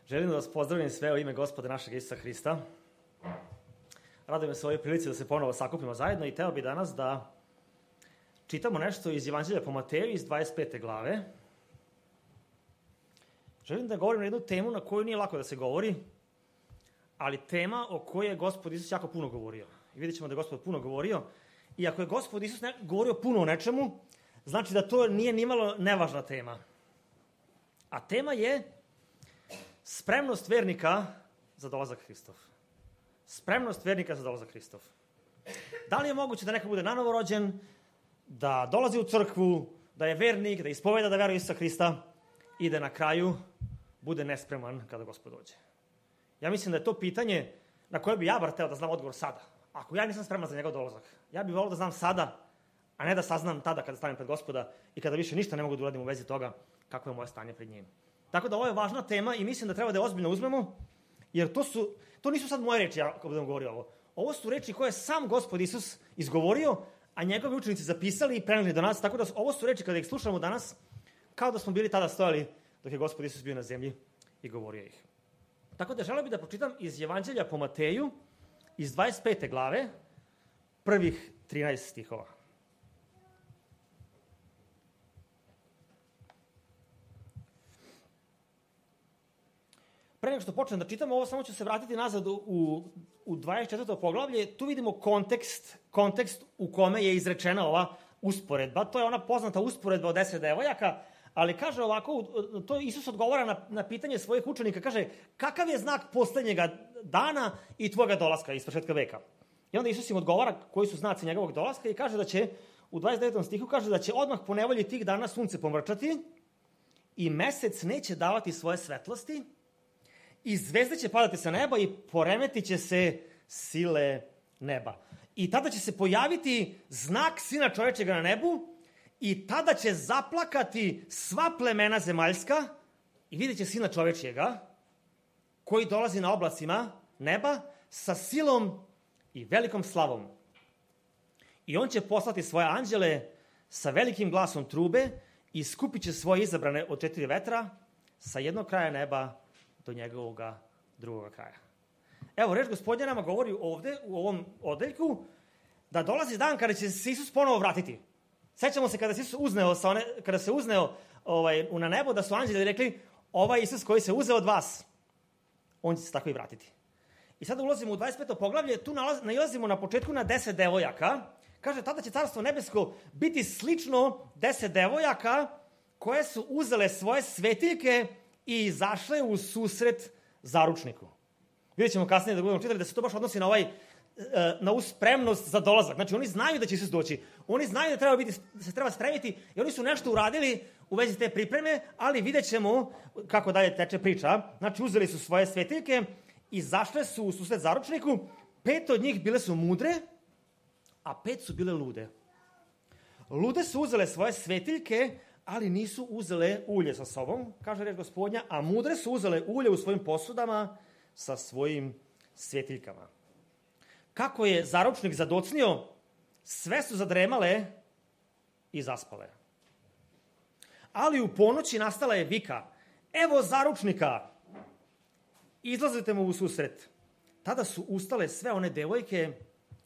Želim da vas pozdravim sve u ime Gospoda našeg Isusa Hrista. Radujem se ovoj prilici da se ponovo sakupimo zajedno i teo bi danas da čitamo nešto iz Evanđelja po Mateju iz 25. glave. Želim da govorim na jednu temu na koju nije lako da se govori, ali tema o kojoj je Gospod Isus jako puno govorio. I vidjet ćemo da je Gospod puno govorio. I ako je Gospod Isus govorio puno o nečemu, znači da to nije nimalo nevažna tema. A tema je spremnost vernika za dolazak Hristov. Spremnost vernika za dolazak Hristov. Da li je moguće da neko bude nanovo rođen, da dolazi u crkvu, da je vernik, da ispoveda da veruje Isusa Hrista i da na kraju bude nespreman kada Gospod dođe? Ja mislim da je to pitanje na koje bi ja bar hteo da znam odgovor sada. Ako ja nisam spreman za njegov dolazak, ja bih volio da znam sada, a ne da saznam tada kada stanem pred Gospoda i kada više ništa ne mogu da uradim u vezi toga kako je moje stanje pred njim. Tako da ovo je važna tema i mislim da treba da je ozbiljno uzmemo, jer to nisu sad moje reči, ako budem govorio ovo. Ovo su reči koje je sam Gospod Isus izgovorio, a njegovi učenici zapisali i preneli do nas, tako da ovo su reči kada ih slušamo danas, kao da smo bili tada stojali dok je Gospod Isus bio na zemlji i govorio ih. Tako da želeo bih da pročitam iz Evanđelja po Mateju, iz 25. glave, prvih 13 stihova. Pre nego što počnem da čitam ovo, samo ću se vratiti nazad u 24. poglavlje. Tu vidimo kontekst u kome je izrečena ova usporedba. To je ona poznata usporedba od 10 devojaka, ali kaže ovako, to Isus odgovara na pitanje svojih učenika, kaže, kakav je znak poslednjega dana i tvoga dolaska iz početka veka? I onda Isus im odgovara koji su znaci njegovog dolaska i kaže da će, u 29. stihu kaže da će odmah po nevolji tih dana sunce pomrčati i mesec neće davati svoje svetlosti i zvezde će padati sa neba i poremetit će se sile neba. I tada će se pojaviti znak Sina čovečega na nebu i tada će zaplakati sva plemena zemaljska i vidjet će Sina čovečjega koji dolazi na oblacima neba sa silom i velikom slavom. I on će poslati svoje anđele sa velikim glasom trube i skupit će svoje izabrane od 4 vetra sa jednog kraja neba do njegovog drugog kraja. Evo, reč Gospodnja nama govori ovde, u ovom odeljku, da dolazi dan kada će se Isus ponovo vratiti. Sećamo se kada se Isus uzneo na nebo, da su anđeli rekli, ovaj Isus koji se uzeo od vas, on će se tako i vratiti. I sada ulazimo u 25. poglavlje, tu nailazimo na početku na 10 devojaka. Kaže, tada će carstvo nebesko biti slično 10 devojaka koje su uzele svoje svetiljke i izašle u susret zaručniku. Vidjet ćemo kasnije da budemo čitali da se to baš odnosi na ovu spremnost za dolazak. Znači, oni znaju da će Isus doći. Oni znaju da se treba spremiti i oni su nešto uradili u vezi te pripreme, ali vidjet ćemo kako dalje teče priča. Znači, uzeli su svoje svetiljke, izašle su u susret zaručniku, 5 od njih bile su mudre, a 5 su bile lude. Lude su uzele svoje svetiljke, ali nisu uzele ulje sa sobom, kaže reč Gospodnja, a mudre su uzele ulje u svojim posudama sa svojim svetiljkama. Kako je zaručnik zadocnio, sve su zadremale i zaspale. Ali u ponoći nastala je vika, evo zaručnika, izlazite mu u susret. Tada su ustale sve one devojke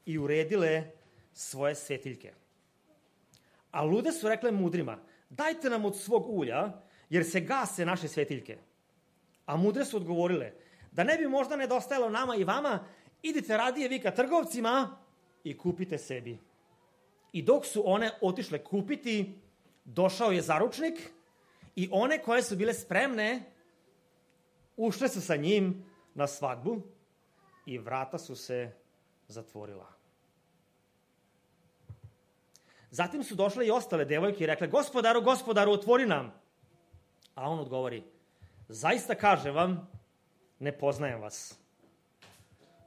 i uredile svoje svetiljke. A lude su rekle mudrima, dajte nam od svog ulja, jer se gase naše svetiljke. A mudre su odgovorile, da ne bi možda nedostajalo nama i vama, idite radije vi ka trgovcima i kupite sebi. I dok su one otišle kupiti, došao je zaručnik i one koje su bile spremne, ušle su sa njim na svadbu i vrata su se zatvorila. Zatim su došle i ostale devojke i rekle, gospodaru, otvori nam. A on odgovori, zaista kažem vam, ne poznajem vas.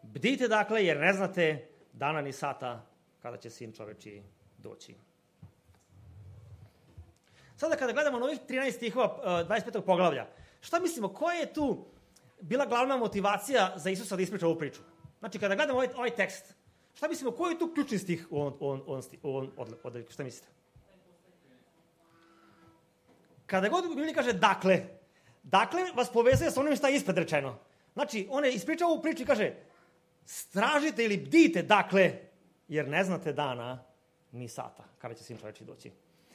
Bdite dakle, jer ne znate dana ni sata kada će Sin čovečiji doći. Sada kada gledamo na ovih 13 stihova 25. poglavlja, šta mislimo, koja je tu bila glavna motivacija za Isusa da ispriča ovu priču? Znači, kada gledamo ovaj tekst, šta mislimo, koji je tu ključni stih u ovom odeljku? Šta mislite? Kada god u Bibliji kaže dakle, Dakle, vas povezuje sa onim šta je ispred rečeno. Znači, on je ispričao ovu priču i kaže, stražite ili bdite, dakle, jer ne znate dana ni sata, kada će Sin čoveči doći.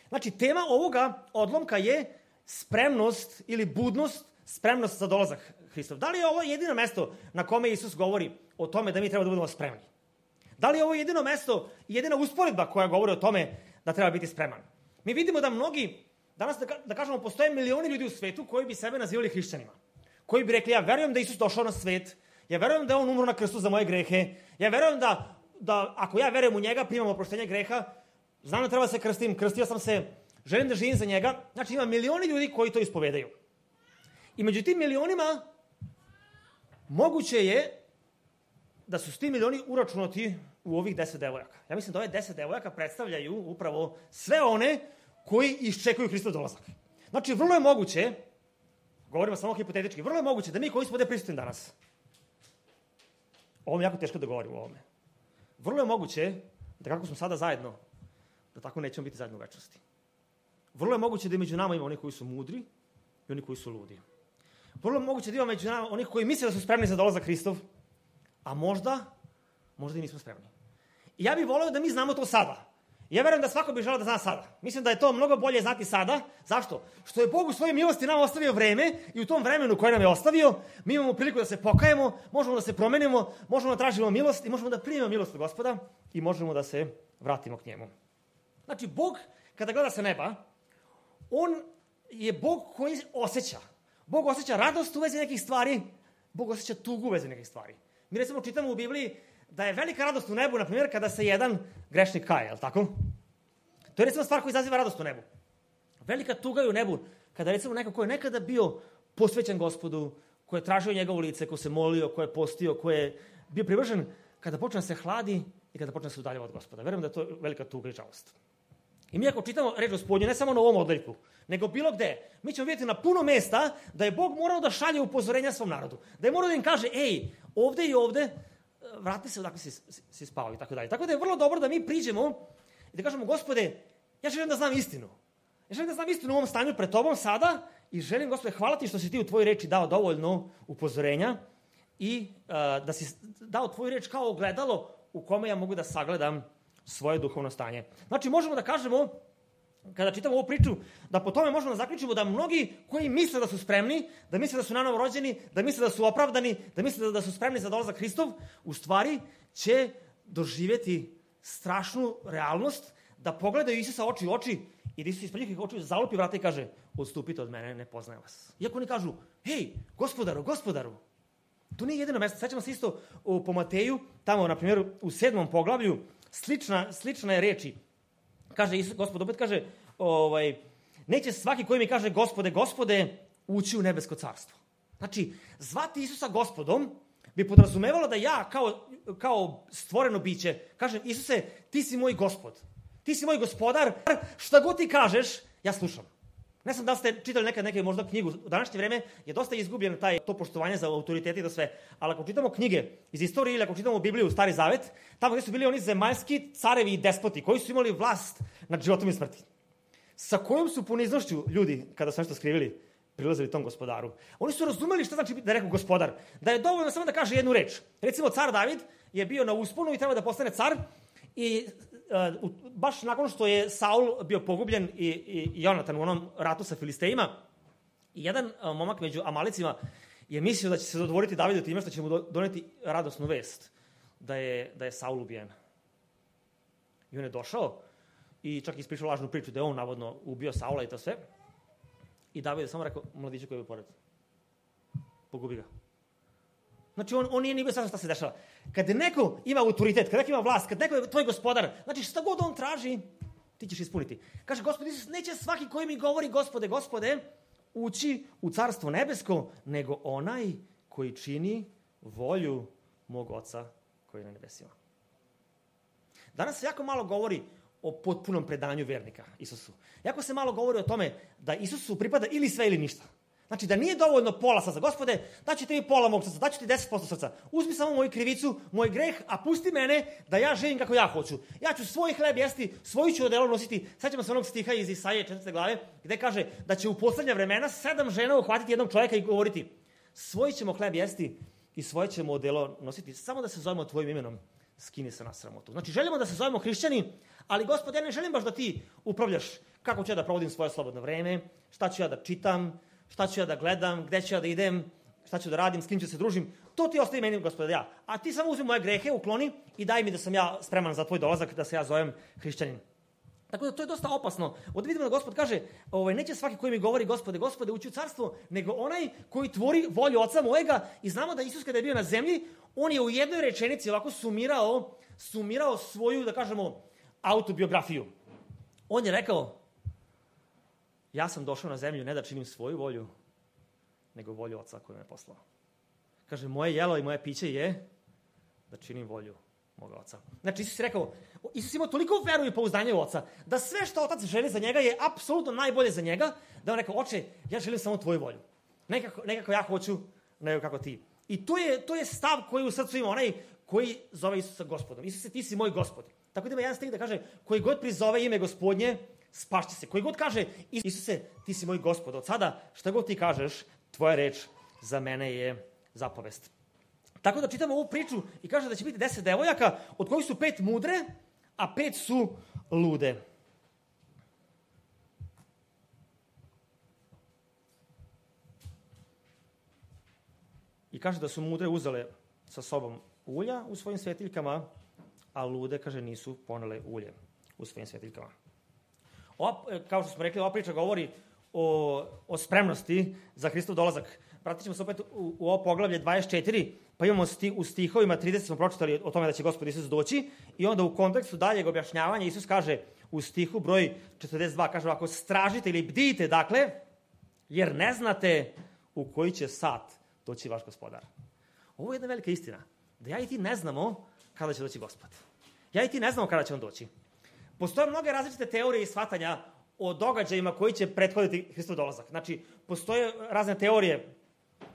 Znači, tema ovoga odlomka je spremnost ili budnost, spremnost za dolazak Hristov. Da li je ovo jedino mesto na kome Isus govori o tome da mi treba da budemo spremni? Da li je ovo jedino mesto, jedina usporedba koja govori o tome da treba biti spreman? Mi vidimo da mnogi, danas da kažemo, postoje milioni ljudi u svetu koji bi sebe nazivali hrišćanima. Koji bi rekli, ja verujem da Isus došao na svet, ja verujem da je on umro na krstu za moje grehe, ja verujem da ako ja verujem u njega, primam oproštenje greha, znam da treba da se krstim, krstio sam se, želim da živim za njega. Znači, ima milioni ljudi koji to ispovedaju. I među tim milionima moguće je da su s tim milioni uračunati u ovih 10 devojaka. Ja mislim da ove 10 devojaka predstavljaju upravo sve one koji iščekuju Hristov dolazak. Znači, vrlo je moguće, govorimo samo hipotetički, vrlo je moguće da mi koji smo ovde prisutni danas, ovo mi je jako teško da govorim o ovome, vrlo je moguće da kako smo sada zajedno, da tako nećemo biti zajedno u večnosti. Vrlo je moguće da među nama ima oni koji su mudri i oni koji su ludi. Vrlo je moguće da ima među nama onih koji misle da su spremni za dolazak Hristov, a možda i nismo spremni. I ja bih voleo da mi znamo to sada. Ja verujem da svako bi želeo da zna sada. Mislim da je to mnogo bolje znati sada. Zašto? Što je Bog u svojoj milosti nam ostavio vreme i u tom vremenu koje nam je ostavio, mi imamo priliku da se pokajemo, možemo da se promenimo, možemo da tražimo milost i možemo da primimo milost od Gospoda i možemo da se vratimo k njemu. Znači, Bog, kada gleda sa neba, on je Bog koji osjeća. Bog osjeća radost u vezi nekih stvari, Bog osjeća tugu u vezi nekih stvari. Mi recimo čitamo u Bibliji da je velika radost u nebu, na primjer, kada se jedan grešnik kaje, je li tako? To je recimo stvar koja izaziva radost u nebu. Velika tuga je u nebu, kada recimo neko ko je nekada bio posvećen Gospodu, ko je tražio njegovo lice, ko se molio, ko je postio, ko je bio privržen, kada počne da se hladi i kada počne da se udaljava od Gospoda. Verujem da je to velika tuga i žalost. I mi ako čitamo reč Gospodnju, ne samo na ovom odjeljku, nego bilo gde, mi ćemo vidjeti na puno mesta da je Bog morao da šalje upozorenja svom narodu. Da je morao da im kaže, ej, ovde i ovde, vrati se odakle si spao i tako dalje. Tako da je vrlo dobro da mi priđemo i da kažemo, Gospode, ja želim da znam istinu. Ja želim da znam istinu u ovom stanju pred tobom sada i želim, Gospode, hvala ti što si ti u tvojoj reči dao dovoljno upozorenja i da si dao tvoju reč kao ogledalo u kome ja mogu da sagledam svoje duhovno stanje. Znači, možemo da kažemo, kada čitamo ovu priču, da po tome možemo da zaključimo da mnogi koji misle da su spremni, da misle da su nanovo rođeni, da misle da su opravdani, da misle da su spremni za dolazak Hristov, u stvari će doživjeti strašnu realnost, da pogledaju Isusa oči u oči i da Isus ispred njihovih očiju zalupi vrata i kaže, odstupite od mene, ne poznajem vas. Iako oni kažu, hej, gospodaru, to nije jedino mesto. Sećamo se isto po Mateju, tamo, na primjer, u 7. poglavlju, slična je reči. Kaže Isus, Gospod opet kaže, neće svaki koji mi kaže Gospode, ući u nebesko carstvo. Znači, zvati Isusa Gospodom bi podrazumevalo da ja kao stvoreno biće kažem, Isuse, ti si moj Gospod, ti si moj gospodar, šta god ti kažeš, ja slušam. Ne znam da li ste čitali nekad neke možda knjigu, u današnje vreme je dosta izgubljen to poštovanje za autoritete i to sve, ali ako čitamo knjige iz istorije ili ako čitamo Bibliju, Stari Zavet, tamo gdje su bili oni zemaljski carevi i despoti koji su imali vlast nad životom i smrti. Sa kojom su poniznošću ljudi, kada su nešto skrivili, prilazili tom gospodaru. Oni su razumeli šta znači da je rekao gospodar, da je dovoljno samo da kaže jednu reč. Recimo, car David je bio na usponu i treba da postane car i baš nakon što je Saul bio pogubljen i Jonatan u onom ratu sa Filistejima, jedan momak među Amalicima je mislio da će se dodvoriti Davidu time što će mu doneti radosnu vest da je Saul ubijen. I on je došao i čak ispričao lažnu priču da je on navodno ubio Saula i to sve. I David je samo rekao, mladiće koji je pored, pogubi ga. Znači, on nije ni bio šta se dešava. Kad neko ima autoritet, kad neko ima vlast, kad neko je tvoj gospodar, znači šta god on traži, ti ćeš ispuniti. Kaže, Gospod Isus, neće svaki koji mi govori, Gospode, ući u carstvo nebesko, nego onaj koji čini volju mog Oca koji je na nebesima. Danas se jako malo govori o potpunom predanju vernika Isusu. Jako se malo govori o tome da Isusu pripada ili sve ili ništa. Znači, da nije dovoljno pola srca. Gospode, daću ti pola mog srca, daću ti 10% srca. Uzmi samo moju krivicu, moj greh, a pusti mene da ja živim kako ja hoću. Ja ću svoj hleb jesti, svoju ću odelo nositi. Sećamo se onog stiha iz Isaije 4. glave, gde kaže da će u poslednja vremena 7 žena uhvatiti jednog čovjeka i govoriti svoj ćemo hleb jesti i svoje ćemo odelo nositi. Samo da se zovemo tvojim imenom, skini se na sramotu. Znači, želimo da se zovemo hrišćani, ali Gospode, ja ne želim baš da ti upravljaš kako ću ja da provodim svoje slobodno vreme, šta ću ja da čitam, šta ću ja da gledam, gde ću ja da idem, šta ću da radim, s kim ću se družim. To ti ostavi meni, Gospode, ja. A ti samo uzmi moje grehe, ukloni i daj mi da sam ja spreman za tvoj dolazak, da se ja zovem hrišćanin. Tako da to je dosta opasno. Ovdje vidimo da Gospod kaže, neće svaki koji mi govori Gospode, Gospode, ući u carstvo, nego onaj koji tvori volju Oca mojega. I znamo da Isus kada je bio na zemlji, on je u jednoj rečenici ovako sumirao svoju, da kažemo, autobiografiju. On je rekao, ja sam došao na zemlju ne da činim svoju volju, nego volju Oca koji me poslao. Kaže, moje jelo i moje piće je da činim volju moga Oca. Znači, Isus je rekao, Isus imao toliko veru i pouzdanje u Oca, da sve što Otac želi za njega je apsolutno najbolje za njega, da on rekao, Oče, ja želim samo tvoju volju. Nekako ja hoću, nego kako ti. I to je stav koji u srcu ima onaj koji zove Isusa Gospodom. Isuse, ti si moj Gospod. Tako da ima jedan stih da kaže, koji god prizove ime Gospodnje, spašće se. Koji god kaže, Isuse, ti si moj Gospod. Od sada, šta god ti kažeš, tvoja reč za mene je zapovest. Tako da čitamo ovu priču i kaže da će biti 10 devojaka, od kojih su 5 mudre, a 5 su lude. I kaže da su mudre uzele sa sobom ulja u svojim svetiljkama, a lude, kaže, nisu ponele ulje u svojim svetiljkama. Kao što smo rekli, ova priča govori o spremnosti za Hristov dolazak. Vratit ćemo se opet u ovo poglavlje 24, pa imamo u stihovima 30 smo pročitali o tome da će Gospod Isus doći i onda u kontekstu daljeg objašnjavanja Isus kaže u stihu broj 42, kaže ovako, stražite ili bdijte, dakle, jer ne znate u koji će sat doći vaš Gospodar. Ovo je jedna velika istina, da ja i ti ne znamo kada će doći Gospod. Ja i ti ne znamo kada će on doći. Postoje mnoge različite teorije i shvatanja o događajima koji će prethoditi Hristov dolazak. Znači, postoje razne teorije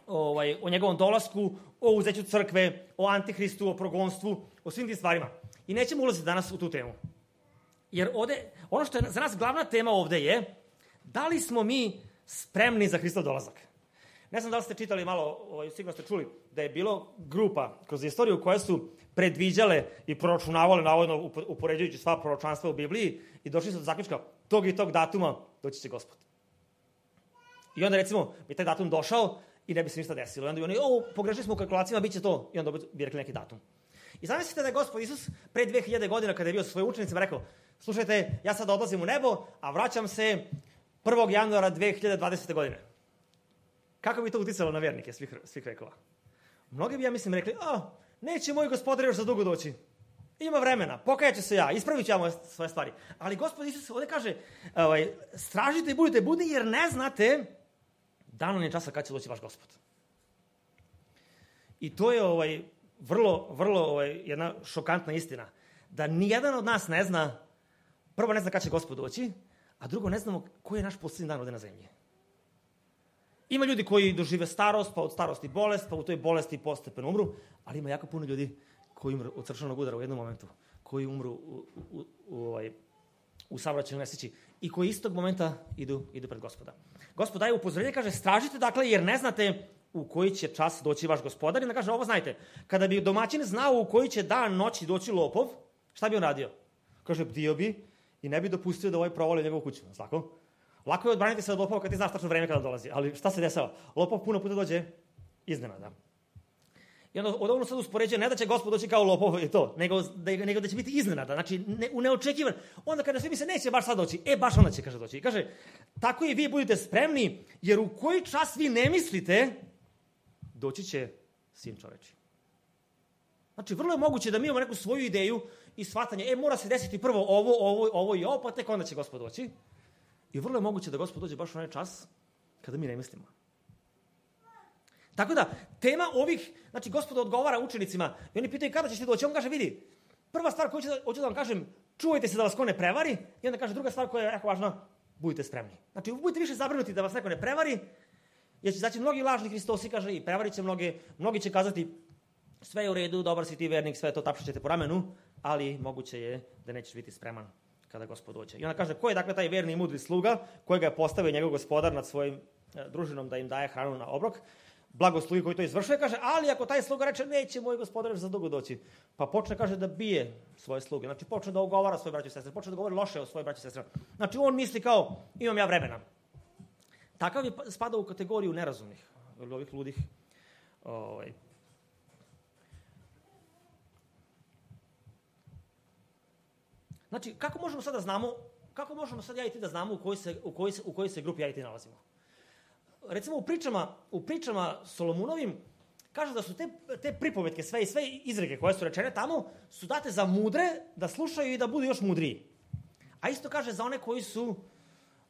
o njegovom dolasku, o uzeću crkve, o antihristu, o progonstvu, o svim tim stvarima. I nećemo ulaziti danas u tu temu. Jer ono što je za nas glavna tema ovde je da li smo mi spremni za Hristov dolazak. Ne znam da li ste čitali malo, sigurno ste čuli, da je bilo grupa kroz istoriju koje su predviđale i proračunavale, navodno upoređujući sva proročanstva u Bibliji, i došli su do zaključka tog i tog datuma doći će Gospod. I onda recimo bi taj datum došao i ne bi se ništa desilo. I onda bi oni, pogrešili smo u kalkulacijama, bit će to. I onda bi rekli neki datum. I zamislite da je Gospod Isus pre 2000 godina kada je bio sa svojim učenicima rekao, slušajte, ja sad odlazim u nebo, a vraćam se 1. januara 2020. godine. Kako bi to uticalo na vernike svih vekova? Mnogi bi, ja mislim, rekli, neće moj Gospodar još za dugo doći. Ima vremena, pokajaću se ja, ispravit ću ja svoje stvari. Ali Gospod Isus ovdje kaže, stražite i budite budni jer ne znate dana ni časa kad će doći vaš Gospod. I to je vrlo jedna šokantna istina. Da nijedan od nas ne zna, prvo ne zna kad će Gospod doći, a drugo ne znamo koji je naš posljednji dan ovdje na zemlji. Ima ljudi koji dožive starost, pa od starosti bolest, pa u toj bolesti postepeno umru, ali ima jako puno ljudi koji umru od srčanog udara u jednom momentu, koji umru u saobraćajnoj nesreći i koji istog momenta idu pred Gospoda. Gospod daje upozorenje, kaže, stražite dakle jer ne znate u koji će čas doći vaš Gospodar. I onda kaže, ovo znajte, kada bi domaćin znao u koji će dan noći doći lopov, šta bi on radio? Kaže, bdio bi i ne bi dopustio da provali njegovu kuću. Tako? Lako je odbraniti se od lopova kad ti znaš tačno vreme kada dolazi, ali šta se dešava? Lopov puno puta dođe iznenada. I onda odavno sad uspoređuje, ne da će Gospod doći kao lopov i to, nego da će biti iznenada, znači neočekivan. Onda kada svi misle, neće baš sad doći, baš onda će, kaže, doći. I kaže, tako i vi budite spremni, jer u koji čas vi ne mislite, doći će Sin čoveči. Znači, vrlo je moguće da mi imamo neku svoju ideju i shvatanje, mora se desiti prvo ovo i ovo, pa tek onda će Gospod doći. I vrlo je moguće da Gospod dođe baš u onaj čas kada mi ne mislimo. Tako da, tema ovih, znači Gospod odgovara učenicima i oni pitaju kada ćeš ti doći. On kaže, vidi, prva stvar koju hoću da vam kažem, čuvajte se da vas ko ne prevari. I onda kaže druga stvar koja je jako važna, budite spremni. Znači, budite više zabrinuti da vas neko ne prevari jer će izaći mnogi lažni Hristosi, kaže, i prevarit će mnogi će kazati sve je u redu, dobar si ti vernik, sve to tapšat ćete po ramenu, ali moguće je da nećeš biti spreman kada Gospod dođe. I ona kaže, ko je dakle taj verni i mudri sluga kojega je postavio njegov gospodar nad svojim družinom da im daje hranu na obrok? Blagoslugi koji to izvršuje, kaže, ali ako taj sluga reče, neće moj gospodar za dugo doći, pa počne, kaže, da bije svoje sluge, znači počne da ogovara svoje braće i sestre, počne da govori loše o svoje braće i sestre. Znači on misli kao, imam ja vremena. Takav je spada u kategoriju nerazumnih, ili ovih ludih. Znači, kako možemo sad ja i ti da znamo u kojoj se grupi ja i ti nalazimo? Recimo, u pričama Solomunovim kaže da su te pripovetke, sve izreke koje su rečene tamo, su date za mudre da slušaju i da budu još mudriji. A isto kaže za one koji su,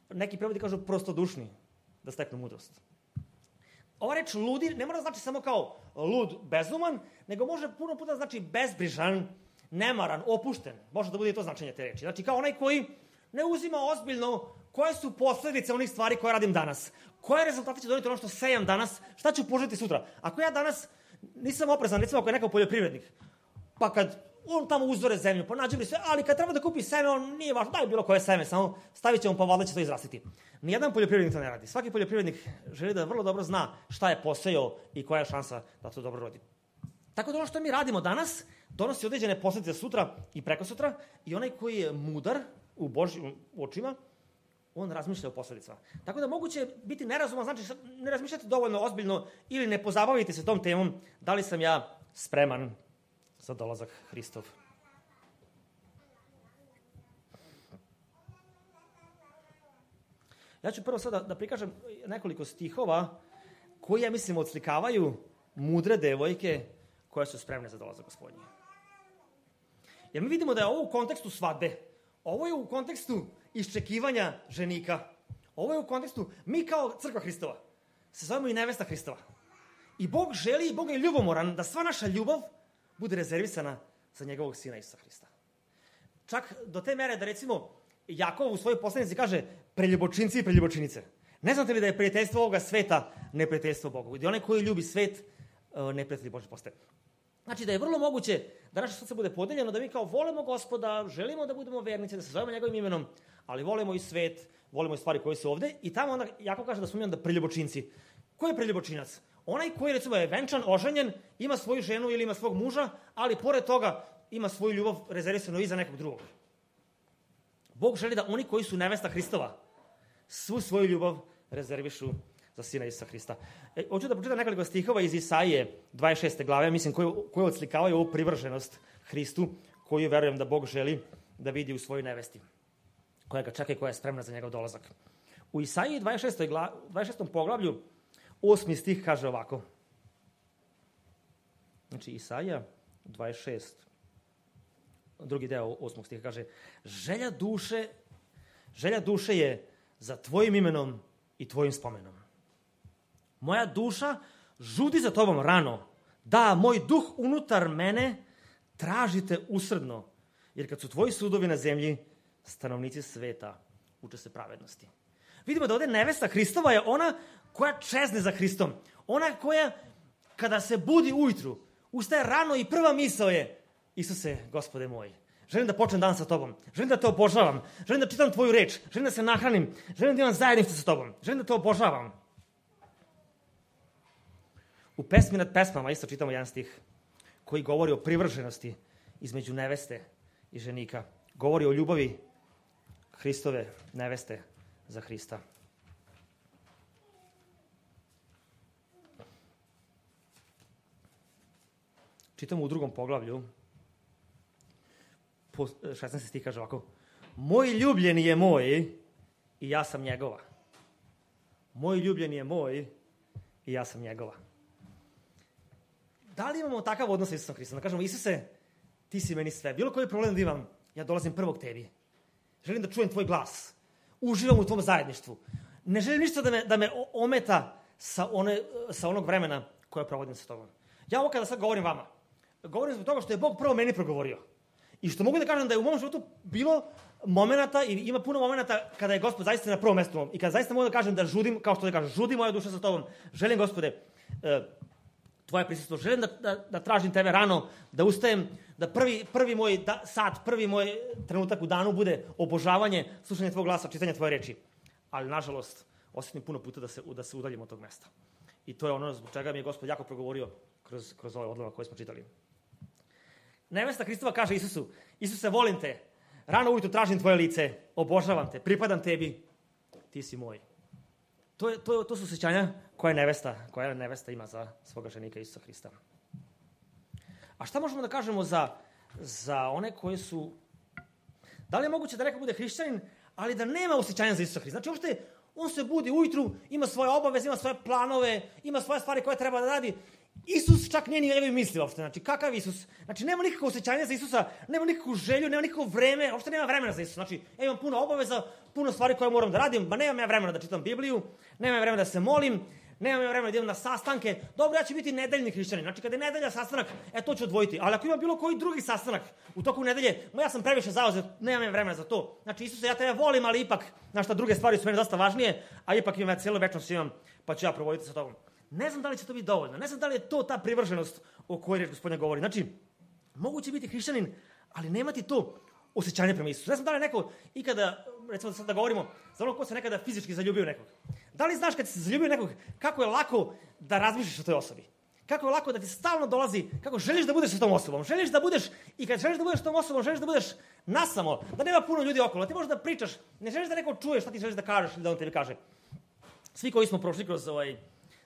neki prevodi kažu, prostodušni, da steknu mudrost. Ova reč ludi ne mora znači samo kao lud, bezuman, nego može puno puta znači bezbrižan, nemaran, opušten. Može da bude i to značenje te reči. Znači kao onaj koji ne uzima ozbiljno koje su posledice onih stvari koje radim danas. Koje rezultate će doneti ono što sejam danas, šta ću požeti sutra. Ako ja danas nisam oprezan, recimo ako je neko poljoprivrednik, pa kad on tamo uzore zemlju, pa nađe mi sve, ali kad treba da kupi seme, on nije važno, daj bilo koje seme, samo stavit će mu, pa valjda će to izrastiti. Nijedan poljoprivrednik to ne radi. Svaki poljoprivrednik želi da vrlo dobro zna šta je posejao i koja je šansa da to dobro rodi. Tako da ono što mi radimo danas donosi određene posledice sutra i prekosutra i onaj koji je mudar u Božjim očima, on razmišlja o posledicama. Tako da moguće biti nerazuman, znači ne razmišljati dovoljno ozbiljno ili ne pozabaviti se tom temom da li sam ja spreman za dolazak Hristov. Ja ću prvo sada da prikažem nekoliko stihova koji, ja mislim, odslikavaju mudre devojke koje su spremne za dolazak Gospodnji. Jer mi vidimo da je ovo u kontekstu svadbe. Ovo je u kontekstu iščekivanja ženika. Ovo je u kontekstu, mi kao crkva Hristova se zovemo i nevesta Hristova. I Bog želi, i Bog je ljubomoran da sva naša ljubav bude rezervisana za njegovog sina Isusa Hrista. Čak do te mere da recimo Jakov u svojoj poslanici kaže preljubočinci i preljubočinice. Ne znate li da je prijateljstvo ovoga sveta neprijateljstvo Bogu? I onaj koji ljubi svet, neprijatelj Božji postaje. Znači da je vrlo moguće da naše srce bude podeljeno, da mi kao volimo Gospoda, želimo da budemo vernici, da se zovemo njegovim imenom, ali volimo i svet, volimo i stvari koje su ovde. I tamo onda Jakov kaže da smo mi onda preljubočinci. Ko je preljubočinac? Onaj koji recimo je venčan, oženjen, ima svoju ženu ili ima svog muža, ali pored toga ima svoju ljubav rezervisanu i za nekog drugog. Bog želi da oni koji su nevesta Hristova svu svoju ljubav rezervišu za sina Isusa Hrista. Hoću da pročitam nekoliko stihova iz Isaije 26. glave, mislim, koje odslikavaju ovu privrženost Hristu, koju verujem da Bog želi da vidi u svojoj nevesti, koja ga čeka i koja je spremna za njegov dolazak. U Isaiji 26. poglavlju 8. stih kaže ovako. Znači, Isaija 26. drugi deo 8. stiha kaže: želja duše je za tvojim imenom i tvojim spomenom. Moja duša žudi za tobom rano. Da, moj duh unutar mene tražite usrdno, jer kad su tvoji sudovi na zemlji, stanovnici sveta uče se pravednosti. Vidimo da ovde nevesta Hristova je ona koja čezne za Hristom. Ona koja, kada se budi ujutru, ustaje rano i prva misao je: Isuse, Gospode moj, želim da počnem dan sa tobom, želim da te obožavam, želim da čitam tvoju reč, želim da se nahranim, želim da imam zajedništvo sa tobom, želim da te obožavam. U pesmi nad pesmama isto čitamo jedan stih koji govori o privrženosti između neveste i ženika. Govori o ljubavi Hristove neveste za Hrista. Čitamo u 2. poglavlju, 16. stih kaže ovako: moj ljubljeni je moj i ja sam njegova. Moj ljubljeni je moj i ja sam njegova. Da li imamo takav odnos sa Isusom Hristom? Da kažemo: Isuse, ti si meni sve. Bilo koji problem da imam, ja dolazim prvo k tebi. Želim da čujem tvoj glas. Uživam u tvom zajedništvu. Ne želim ništa da me ometa sa onog vremena koje provodim sa tobom. Ja ovo kada sad govorim vama, govorim zbog toga što je Bog prvo meni progovorio. I što mogu da kažem da je u mom životu bilo momenata i ima puno momenata kada je Gospod zaista na prvom mestu i kada zaista mogu da kažem da žudim, kao što da kažem, žudi moja duša sa tobom. Želim, Gospode, tvoje prisustvo. Želim da tražim tebe rano, da ustajem, da prvi moj sat, prvi moj trenutak u danu bude obožavanje, slušanje tvojeg glasa, čitanje tvoje reči. Ali, nažalost, osjetim puno puta da se udaljim od tog mesta. I to je ono zbog čega mi je Gospod jako progovorio kroz ovaj odlomak koji smo čitali. Nevesta Hristova kaže Isusu, Isuse, volim te, rano ujutru tražim tvoje lice, obožavam te, pripadam tebi, ti si moj. To su osjećanja koja nevesta ima za svoga ženika Isusa Hrista. A šta možemo da kažemo za one koji su... Da li je moguće da neko bude hrišćanin, ali da nema osjećanja za Isusa Hrista? Znači, uopšte, on se budi ujutru, ima svoje obaveze, ima svoje planove, ima svoje stvari koje treba da radi. Isus čak nije ni njegovi misli uopšte. Znači, kakav Isus? Znači, nema nikakvo osjećanja za Isusa, nema nikakvu želju, nema nikakvo vreme, uopšte nema vremena za Isusa. Znači, ja imam puno obaveza, puno stvari koje moram da radim, nemam ja vremena da čitam Bibliju, nemam ja vremena da se molim, nemam ja vremena da idem na sastanke. Dobro, ja ću biti nedeljni hrišćanin. Znači, kada je nedelja sastanak, to ću odvojiti. Ali ako ima bilo koji drugi sastanak u toku nedelje, ja sam previše zauzet, nemam ja vremena za to. Znači, Isuse, ja tebe volim, ali ipak, znaš šta, druge stvari su meni dosta važnije, a ipak imam ja cijelu večnost imam, pa ću ja provoditi sa tobom. Ne znam da li će to biti dovoljno. Ne znam da li je to ta privrženost o kojoj reč Gospodnja govori. Znači, moguće biti hrišćanin, ali nemati to osjećanje prema Isusu. Ne znam da li je neko ikada, recimo da sad da govorimo, za ono ko se nekada fizički zaljubio nekog. Da li znaš kad se zaljubio nekog, kako je lako da razmišljaš o toj osobi? Kako je lako da ti stalno dolazi, kako želiš da budeš sa tom osobom. Želiš da budeš, i kad želiš da budeš sa tom osobom, želiš da budeš nasamo, da nema puno ljudi okolo, da ti možeš da pričaš, ne želiš da neko čuje šta ti želiš da kažeš ili da on tebi kaže. Svi koji smo prošli kroz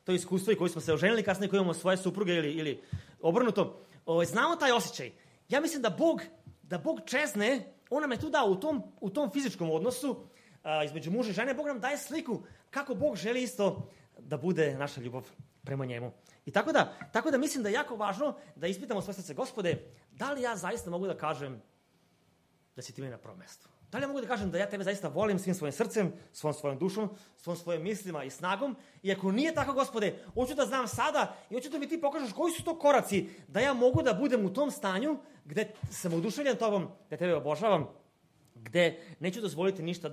to iskustvo i koji smo se oženili kasnije, koji imamo svoje supruge ili obrnuto, znamo taj osjećaj. Ja mislim da Bog čezne, on nam je tu dao u tom fizičkom odnosu između muža i žene, Bog nam daje sliku kako Bog želi isto da bude naša ljubav prema njemu. I tako da mislim da je jako važno da ispitamo svoje srce, Gospode, da li ja zaista mogu da kažem da si ti meni na prvom mestu? Da li ja mogu da kažem da ja tebe zaista volim svim svojim srcem, svom svojom dušom, svom svojim mislima i snagom? I ako nije tako, Gospode, hoću da znam sada i hoću da mi ti pokažeš koji su to koraci da ja mogu da budem u tom stanju gde sam oduševljen tobom, gde tebe obožavam, gde neću dozvoliti ništa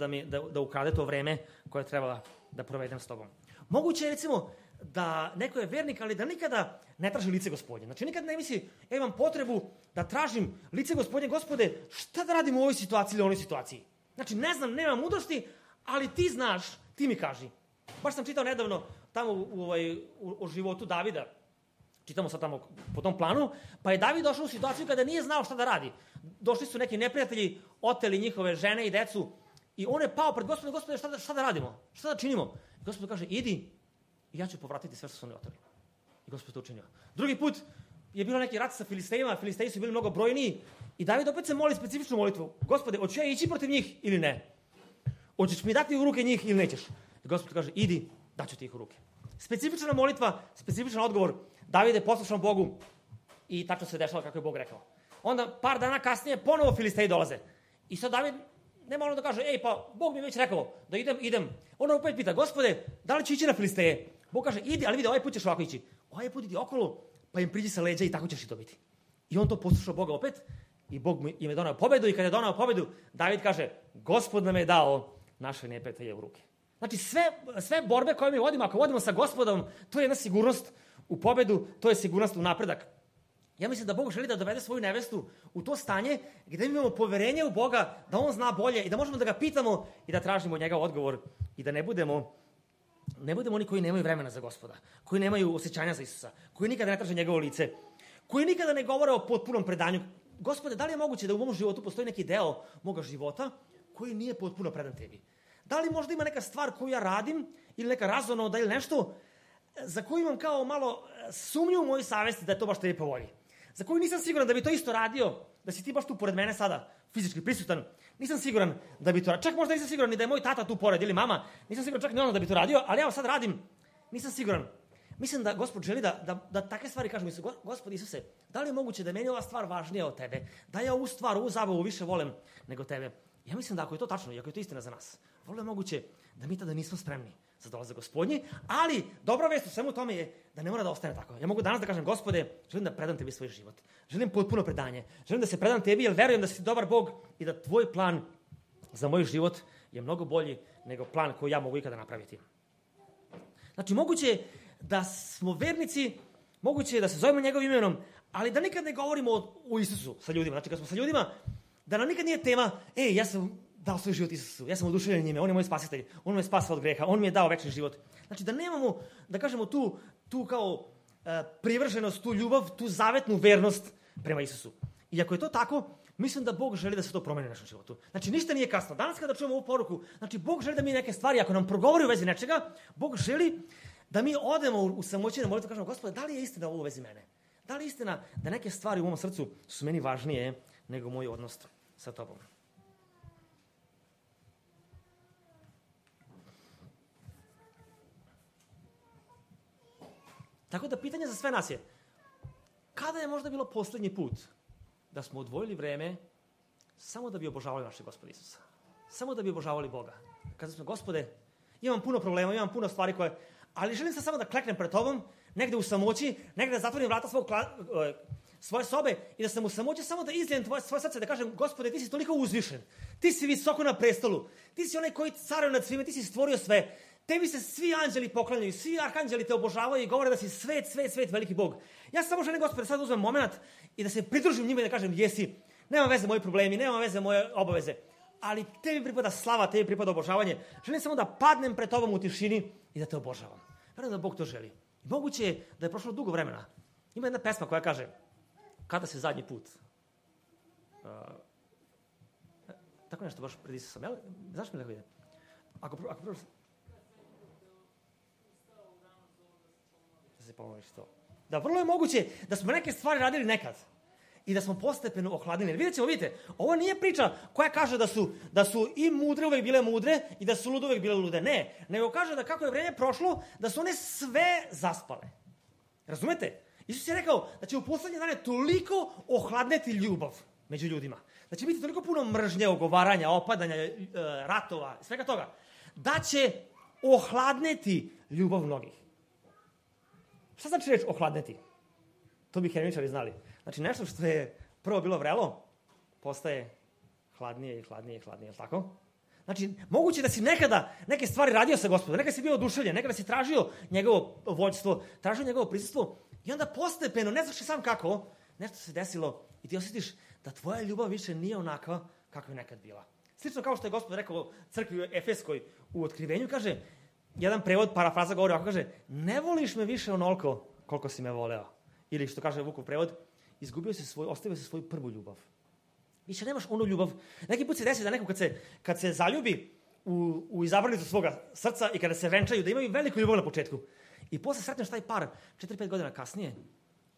da ukrade to vreme koje treba da provedem s tobom. Moguće je, recimo, da neko je vernik, ali da nikada ne traži lice Gospodnje. Znači, nikada ne misli, imam potrebu da tražim lice Gospodnje, Gospode, šta da radim u ovoj situaciji ili onoj situaciji? Znači, ne znam, nemam mudrosti, ali ti znaš, ti mi kaži. Baš sam čitao nedavno tamo u životu Davida, čitamo sad tamo po tom planu, pa je David došao u situaciju kada nije znao šta da radi. Došli su neki neprijatelji, oteli njihove žene i decu i on je pao pred Gospodom, Gospode, šta da radimo? Šta da činimo? I Gospod kaže, idi, i ja ću povratiti sve što su oni oteli. I Gospod to učinio. Drugi put je bilo neki rat sa Filistejima, Filisteji su bili mnogo brojniji i David opet se moli specifičnu molitvu. Gospode, hoću ja ići protiv njih ili ne? Hoćeš mi dati u ruke njih ili nećeš? I Gospod kaže, idi, daću ti ih u ruke. Specifična molitva, specifičan odgovor. David je poslušan Bogu i tačno se dešava kako je Bog rekao. Onda par dana kasnije ponovo Filisteji dolaze. I sad David nema ono da kaže, pa Bog mi je već rekao da idem. Ono opet pita, Gospode, da li ću ići na Filisteje? Bog kaže, idi, ali vidi, ovaj put ćeš ovako ići. Ovaj put idi okolo, pa im priđi sa leđa i tako ćeš i dobiti. I on to poslušao Boga opet i Bog im je donao pobedu i kada je donao pobedu, David kaže, Gospod nam je dao naše neprijatelje u ruke. Znači, sve borbe koje mi vodimo, ako vodimo sa Gospodom, to je jedna sigurnost u pobedu, to je sigurnost u napredak. Ja mislim da Bog želi da dovede svoju nevestu u to stanje gde mi imamo poverenje u Boga, da on zna bolje i da možemo da ga pitamo i da tražimo od njega odgovor i da ne budemo oni koji nemaju vremena za Gospoda, koji nemaju osjećanja za Isusa, koji nikada ne traže njegovo lice, koji nikada ne govore o potpunom predanju. Gospode, da li je moguće da u mom životu postoji neki deo moga života koji nije potpuno predan tebi? Da li možda ima neka stvar koju ja radim ili neka razonoda ili nešto za koju imam kao malo sumnju u mojoj savesti da je to baš tebi po volji? Za koju nisam siguran da bi to isto radio, da si ti baš tu pored mene sada, fizički prisutan. Nisam siguran da bi to radio. Čak možda nisam siguran ni da je moj tata tu pored ili mama. Nisam siguran čak ni ono da bi to radio, ali evo sad radim. Nisam siguran. Mislim da Gospod želi da takve stvari kažem. Mislim, Gospod Isuse, da li je moguće da je meni ova stvar važnija od tebe? Da ja ovu stvar, ovu zabavu više volim nego tebe? Ja mislim da ako je to tačno i ako je to istina za nas, vrlo je moguće da mi tada nismo spremni za dolazak Gospodnji, ali dobra vest u svemu tome je da ne mora da ostane tako. Ja mogu danas da kažem, Gospode, želim da predam tebi svoj život. Želim potpuno predanje. Želim da se predam tebi jer verujem da si dobar Bog i da tvoj plan za moj život je mnogo bolji nego plan koji ja mogu ikada napraviti. Znači, moguće je da smo vernici, moguće je da se zovemo njegovim imenom, ali da nikad ne govorimo o Isusu sa ljudima. Znači, kad smo sa ljudima, da nam nikad nije tema, ja sam dao svoj život Isusu, ja sam oduševljen njime, on je moj spasitelj, on me spasao od greha, on mi je dao večni život. Znači, da nemamo, da kažemo, tu kao privrženost, tu ljubav, tu zavetnu vernost prema Isusu. I ako je to tako, mislim da Bog želi da se to promeni u našem životu. Znači, ništa nije kasno. Danas kada čujemo ovu poruku, znači, Bog želi da mi neke stvari, ako nam progovori u vezi nečega, Bog želi da mi odemo u samoći na molitvu i kažemo, Gospode, da li je istina ovo u vezi mene? Da li je istina da neke stvari u mom srcu su meni važnije nego moj odnos sa tobom? Tako da pitanje za sve nas je, kada je možda bilo poslednji put da smo odvojili vreme samo da bi obožavali našeg Gospoda Isusa? Samo da bi obožavali Boga. Kada smo, Gospode, imam puno problema, imam puno stvari koje, ali želim se samo da kleknem pred tobom, negde u samoći, negde da zatvorim vrata svoje sobe i da sam u samoći samo da izlijem svoje srce, da kažem, Gospode, ti si toliko uzvišen, ti si visoko na prestolu, ti si onaj koji caruje nad svime, ti si stvorio sve, tebi se svi anđeli poklanjaju, svi arkanđeli te obožavaju i govore da si svet, veliki Bog. Ja samo želim, Gospode, sad uzmem moment i da se pridružim njima i da kažem, jesi, nema veze moji problemi, nema veze moje obaveze, ali tebi pripada slava, tebi pripada obožavanje. Želim samo da padnem pred tobom u tišini i da te obožavam. Verujem da Bog to želi. Moguće je da je prošlo dugo vremena. Ima jedna pesma koja kaže, kada se zadnji put? Tako nešto baš pred Isusom. Znaš mi da ide? Ako prvo... Da se pomoliš to. Da, vrlo je moguće da smo neke stvari radili nekad i da smo postepeno ohladnili. Vidite, ovo nije priča koja kaže da su i mudre uvek bile mudre i da su lude uvek bile lude. Ne, nego kaže da kako je vreme prošlo, da su one sve zaspale. Razumete? Isus je rekao da će u poslednje dane toliko ohladneti ljubav među ljudima. Da će biti toliko puno mržnje, ogovaranja, opadanja, ratova, svega toga. Da će ohladneti ljubav mnogih. Šta znači reći ohladneti? To bi hemičari znali. Znači nešto što je prvo bilo vrelo, postaje hladnije, je li tako? Znači, moguće da si nekada neke stvari radio sa Gospodom, nekada si bio oduševljen, nekada si tražio njegovo vođstvo, tražio njegovo prisustvo i onda postepeno, ne znaš sam kako, nešto se desilo i ti osjetiš da tvoja ljubav više nije onakva kakva je nekad bila. Slično kao što je Gospod rekao crkvi u Efeskoj u Otkrivenju, kaže, jedan prevod, parafraza govori ovako, kaže, ne voliš me više onoliko koliko si me voleo. Ili što kaže Vukov prevod, ostavio si svoju prvu ljubav. Više nemaš onu ljubav. Neki put se desi da neko kad se zaljubi u izabranicu svoga srca i kada se venčaju, da imaju veliku ljubav na početku. I posle sretneš taj par 4-5 godina kasnije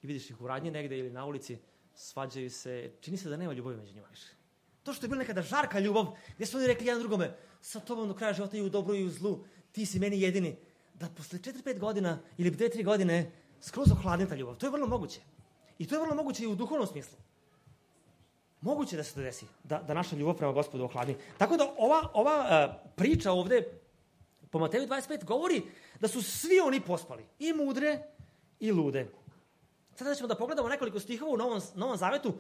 i vidiš ih u radnji negde ili na ulici, svađaju se, čini se da nema ljubavi među njima više. To što je bila nekada žarka ljubav, gdje su oni rekli jedan drugome, sa tobom do kraja života i u dobru i u zlu, ti si meni jedini, da posle 4-5 godina ili 2-3 godine skroz ohladne ta ljubav. To je vrlo moguće. I to je vrlo moguće i u duhovnom smislu. Moguće da se to desi, da naša ljubav prema Gospodu ohladni. Tako da ova priča ovde po Mateju 25 govori da su svi oni pospali, i mudre i lude. Sada ćemo da pogledamo nekoliko stihova u Novom Zavetu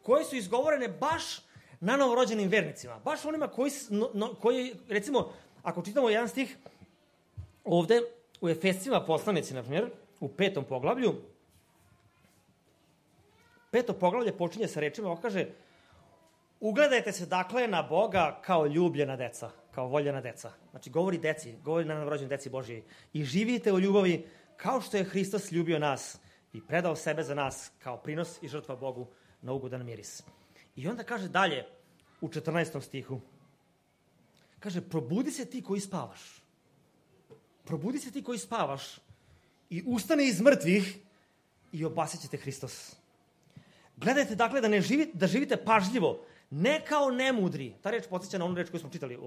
koje su izgovorene baš na novorođenim vernicima. Baš onima koji recimo, ako čitamo jedan stih ovde u Efescima poslanici, na primjer, u 5. poglavlju, 5. poglavlje počinje sa rečima, ovo kaže, ugledajte se dakle na Boga kao ljubljena deca, kao voljena deca. Znači, govori deci, govori na novorođenoj deci Božiji. I živite u ljubavi kao što je Hristos ljubio nas i predao sebe za nas kao prinos i žrtva Bogu na ugodan miris. I onda kaže dalje, u 14. stihu, kaže, probudi se ti koji spavaš. Probudi se ti koji spavaš i ustane iz mrtvih i obasit ćete Hristos. Gledajte, dakle, da živite pažljivo, ne kao nemudri. Ta reč podsjeća na onu reč koju smo čitali.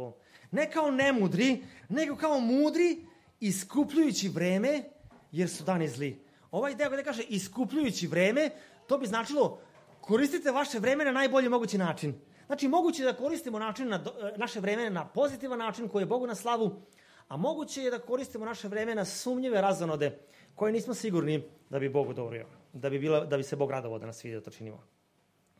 Ne kao nemudri, nego kao mudri, iskupljujući vreme, jer su dani zli. Ovaj deo gde kaže iskupljujući vreme, to bi značilo koristite vaše vreme na najbolji mogući način. Znači, moguće da koristimo naše vreme na pozitivan način koji je Bogu na slavu, a moguće je da koristimo naše vreme na sumnjive razonode koje nismo sigurni da bi Bog odobrio, da bi se Bog radovao da nas vidi da to činimo.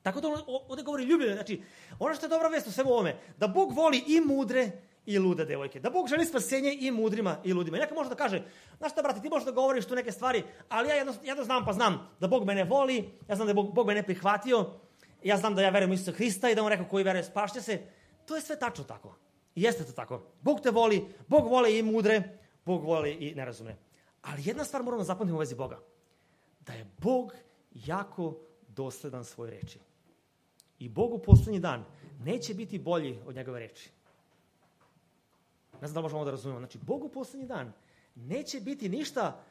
Tako da ovde govori ljubljenje, znači ono što je dobra vest u svemu ovome, da Bog voli i mudre i lude devojke, da Bog želi spasenje i mudrima i ludima. I neka može da kaže, znaš šta brate, ti možeš da govoriš tu neke stvari, ali ja jedno znam pa znam da Bog mene voli, ja znam da je Bog mene prihvatio, ja znam da ja verujem u Isusa Hrista i da on rekao koji veruje spašće se. To je sve tačno tako. I jeste to tako. Bog te voli, Bog voli i mudre, Bog voli i nerazumne. Ali jedna stvar moramo da zapamtimo u vezi Boga. Da je Bog jako dosledan svoje reči. I Bog u poslednji dan neće biti bolji od njegove reči. Ne znam da li možemo da razumemo. Znači, Bog u poslednji dan neće biti ništa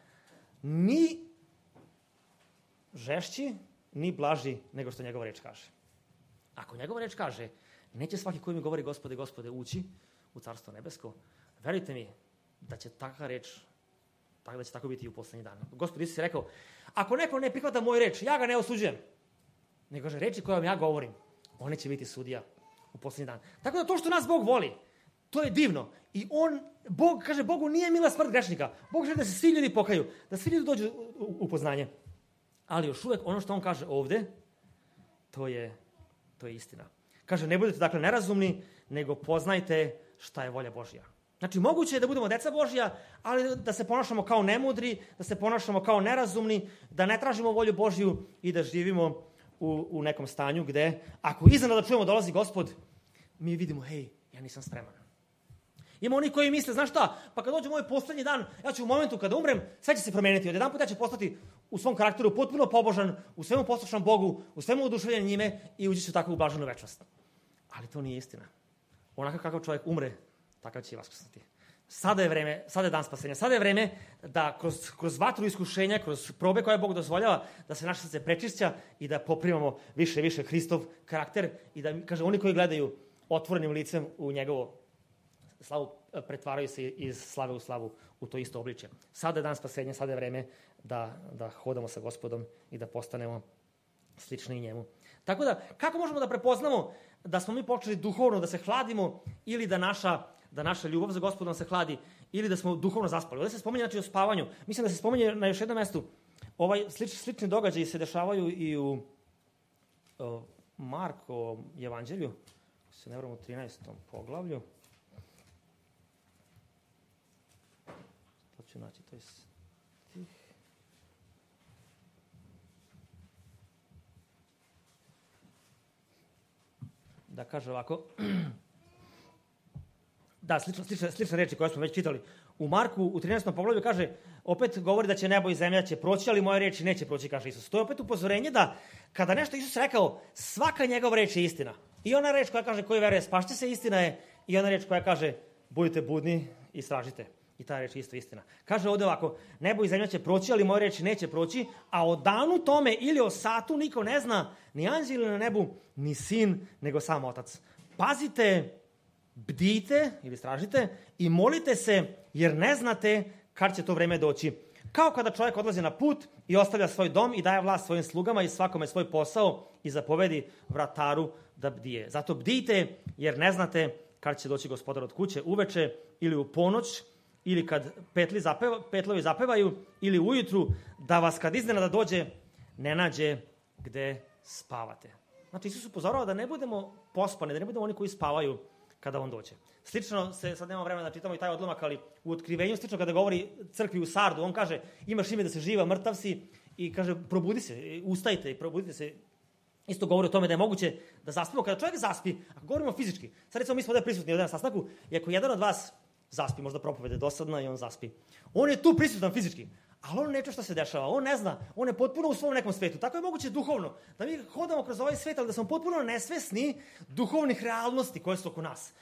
ni žešći, ni blaži nego što njegova reč kaže. Ako njegova reč kaže, neće svaki koji mi govori Gospode, Gospode, ući u Carstvo nebesko, verujte mi da će takva reč, da će tako biti i u poslednji dan. Gospod Isus je rekao, ako neko ne prihvata moju reč, ja ga ne osuđujem. Nego kaže, reči koje vam ja govorim, one će biti sudija u poslednji dan. Tako da to što nas Bog voli, to je divno. I Bog, kaže, Bogu nije mila smrt grešnika. Bog želi da se svi ljudi pokaju, da svi ljudi dođu u poznanje. Ali još uvek ono što on kaže ovde, to je istina. Kaže, ne budete dakle nerazumni, nego poznajte šta je volja Božja. Znači, moguće je da budemo deca Božja, ali da se ponašamo kao nemudri, da se ponašamo kao nerazumni, da ne tražimo volju Božju i da živimo u nekom stanju gde, ako iznenada čujemo dolazi Gospod, mi vidimo, hej, ja nisam spreman. Ima oni koji misle, znaš šta, pa kad dođe moj poslednji dan, ja ću u momentu kada umrem, sve će se promeniti. Od jedan put ja ću postati u svom karakteru potpuno pobožan, u svemu poslušan Bogu, u svemu oduševljen njime i ući ću tako u blaženu večnost. Ali to nije istina. Onako kakav čovjek umre, takav će i vaskrsnuti. Sada je vreme, sada je dan spasenja, sada je vreme da kroz vatru iskušenja, kroz probe koje Bog dozvoljava, da se naše srce prečišća i da poprimamo više i više Hristov karakter i da, kaže, oni koji gledaju otvorenim licem u njegovo slavu, pretvaraju se iz slave u slavu u to isto obličje. Sada je dan spasenja, sada je vreme da hodamo sa Gospodom i da postanemo slični njemu. Tako da, kako možemo da prepoznamo da smo mi počeli duhovno da se hladimo ili da naša ljubav za Gospodom se hladi ili da smo duhovno zaspali? Ovdje se spominje znači o spavanju. Mislim da se spominje na još jednom mestu. Slični događaji se dešavaju i u Markovom evanđelju, se ne vrlo u 13. poglavlju. To ću naći, to je stih. Da kaže ovako. Da, slične reči koje smo već čitali. U Marku, u 13. poglavlju kaže, opet govori da će nebo i zemlja će proći, ali moje reči neće proći, kaže Isus. To je opet upozorenje da kada nešto Isus rekao, svaka njegova reč je istina. I ona reč koja kaže, koji veruje spašće se, istina je. I ona reč koja kaže, budite budni i istražite. I ta reč je isto istina. Kaže ovde ovako, nebo i zemlja će proći, ali moje reči neće proći, a o danu tome ili o satu niko ne zna, ni anđeli na nebu, ni sin, nego sam Otac. Pazite, bdijte ili istražite i molite se, jer ne znate kad će to vreme doći. Kao kada čovjek odlazi na put i ostavlja svoj dom i daje vlast svojim slugama i svakome svoj posao i zapovedi vrataru da bdije. Zato bdijte, jer ne znate kad će doći gospodar od kuće, uveče ili u ponoć, ili kad petlovi zapevaju, ili ujutru, da vas kad iznenada dođe, ne nađe gde spavate. Znači, Isus upozorava da ne budemo pospani, da ne budemo oni koji spavaju kada on dođe. Slično, sad nemamo vremena da čitamo i taj odlomak, ali u Otkrivenju, slično kada govori crkvi u Sardu, on kaže, imaš ime da se živa, mrtav si, i kaže, probudi se, ustajte i probudite se. Isto govori o tome da je moguće da zaspimo. Kada čovjek zaspi, ako govorimo fizički, sad recimo mi smo ovdje prisutni na sastanku, i ako jedan od vas zaspi, možda propovede dosadna i on zaspi, on je tu prisutan fizički, ali on ne čuje šta se dešava, on ne zna, on je potpuno u svom nekom svetu. Tako je moguće duhovno, da mi hodamo kroz ovaj svet, ali da smo potpuno nesvesni duhovnih realnosti koje su oko nas.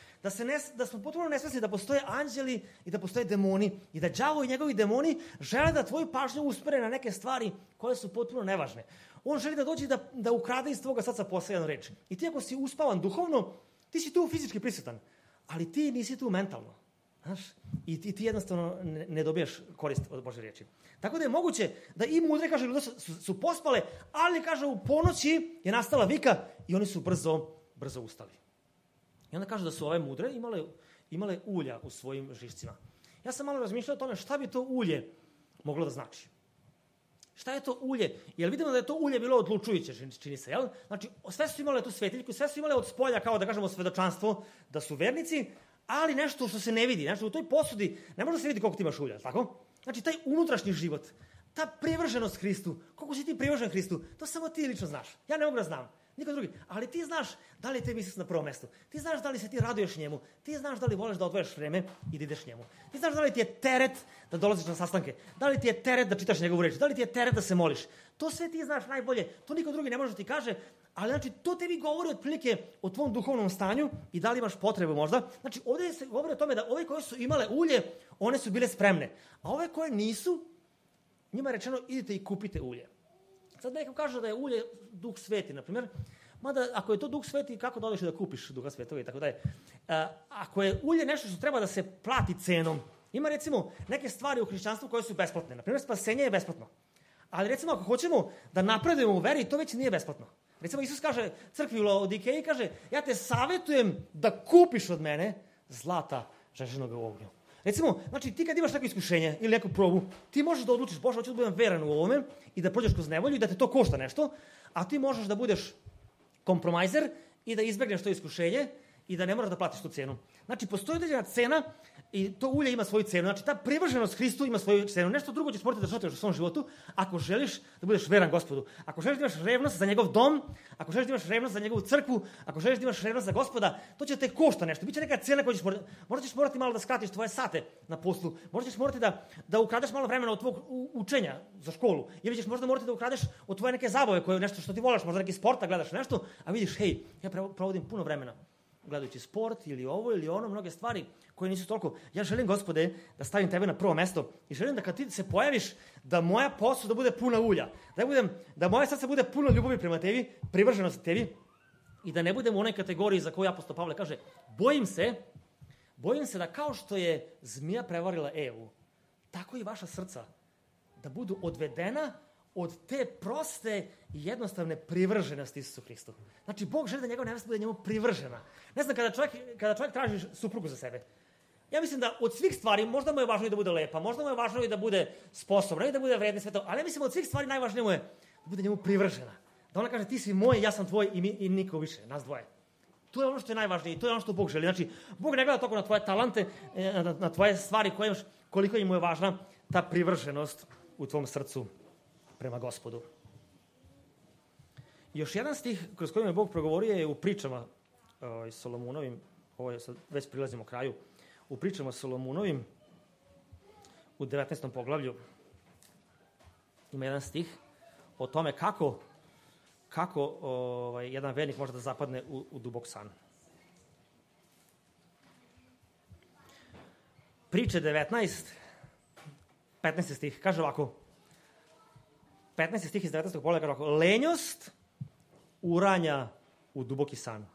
Da smo potpuno nesvesni da postoje anđeli i da postoje demoni i da đavo i njegovi demoni žele da tvoju pažnju uspere na neke stvari koje su potpuno nevažne. On želi da dođe da ukrade iz tvoga srca poslednju reč. I ti ako si uspavan duhovno, ti si tu fizički prisutan, ali ti nisi tu mentalno. Znaš? I ti jednostavno ne dobijaš korist od Božje riječi. Tako da je moguće da i mudre, kaže, ljudi su pospale, ali, kaže, u ponoći je nastala vika i oni su brzo ustali. I onda kaže da su ove mudre imale ulja u svojim žišcima. Ja sam malo razmišljao o tome šta bi to ulje moglo da znači. Šta je to ulje? Jer vidimo da je to ulje bilo odlučujuće, čini se, jel? Znači, sve su imale tu svetiljku, sve su imale od spolja, kao da kažemo, svedočanstvo, da su vernici, ali nešto što se ne vidi, nešto u toj posudi, ne može da se vidi koliko ti imaš ulja, tako? Znači, taj unutrašnji život, ta privrženost Hristu, koliko si ti privržen Hristu, to samo ti lično znaš. Ja ne mogu da znam, niko drugi. Ali ti znaš da li je tebi Isus na prvom mestu. Ti znaš da li se ti raduješ njemu. Ti znaš da li voliš da odvojaš vreme i da ideš njemu. Ti znaš da li ti je teret da dolaziš na sastanke. Da li ti je teret da čitaš njegovu reč. Da li ti je teret da se moliš. To sve ti znaš najbolje. To niko drugi ne može da ti kaže. Ali znači, to tebi govori otprilike o tvom duhovnom stanju i da li imaš potrebu možda. Znači, ovdje se govori o tome da ove koje su imale ulje, one su bile spremne. A ove koje nisu, njima je rečeno idite i kupite ulje. Sad nekom kaže da je ulje Duh Sveti, na primjer. Mada, ako je to Duh Sveti, kako da odeš da kupiš Duha Svetog i tako dalje. Ako je ulje nešto što treba da se plati cenom, ima recimo neke stvari u hrišćanstvu koje su besplatne. Na primjer, spasenje je besplatno. Ali recimo, ako hoćemo da napredujemo u veri, to već nije besplatno. Recimo, Isus kaže crkvi u Laodikeji, kaže, ja te savjetujem da kupiš od mene zlata žeženog u ognju. Recimo, znači, ti kad imaš neko iskušenje ili neku probu, ti možeš da odlučiš, Bože, hoću da budem veran u ovome i da prođeš kroz nevolju i da te to košta nešto, a ti možeš da budeš kompromajzer i da izbegneš to iskušenje i da ne moraš da platiš tu cenu. Znači, postoji određena cena i to ulje ima svoju cenu. Znači, ta privrženost Hristu ima svoju cenu. Nešto drugo ćeš morati da žrtvuješ u svom životu ako želiš da budeš veran Gospodu. Ako želiš da imaš revnost za njegov dom, ako želiš da imaš revnost za njegovu crkvu, ako želiš da imaš revnost za Gospoda, to će te košta nešto. Biće neka cena koju ćeš morati. Možda ćeš morati malo da skratiš tvoje sate na poslu. Možda ćeš morati da ukradeš malo vremena od tvog učenja za školu. Ili ćeš možda morati da ukradeš od tvoje neke zabave, koje nešto što ti voliš, možda neki sporta gledaš nešto, a vidiš, hej, ja provodim puno vremena gledajući sport ili ovo ili ono, mnoge stvari koje nisu toliko. Ja želim, Gospode, da stavim tebe na prvo mesto i želim da kad ti se pojaviš, da moja posuda bude puna ulja, da moje srce bude puno ljubavi prema tebi, privrženosti tebi i da ne budem u onoj kategoriji za koju apostol Pavle kaže, bojim se da kao što je zmija prevarila Evu, tako i vaša srca da budu odvedena od te proste i jednostavne privrženosti Isusu Hristu. Znači, Bog želi da njegova nevesta bude njemu privržena. Ne znam, kada čovjek traži suprugu za sebe, ja mislim da od svih stvari, možda mu je važno i da bude lepa, možda mu je važno i da bude sposobna i da bude vredna sve to, ali ja mislim od svih stvari najvažnije mu je da bude njemu privržena. Da ona kaže, ti si moj, ja sam tvoj i niko više, nas dvoje. To je ono što je najvažnije i to je ono što Bog želi. Znači, Bog ne gleda toliko na tvoje talante, na tvoje stvari koje imaš, koliko im je važna ta privrženost u tvom srcu prema Gospodu. Još jedan stih kroz kojim je Bog progovorio je u pričama Solomunovim, ovo je sad, već prilazimo kraju, u pričama Solomunovim u 19. poglavlju ima jedan stih o tome kako jedan vernik može da zapadne u dubok san. Priče 19, 15. stih, kaže ovako, 15. stih iz 19. poglavlja kaže ovako, lenjost uranja u duboki san.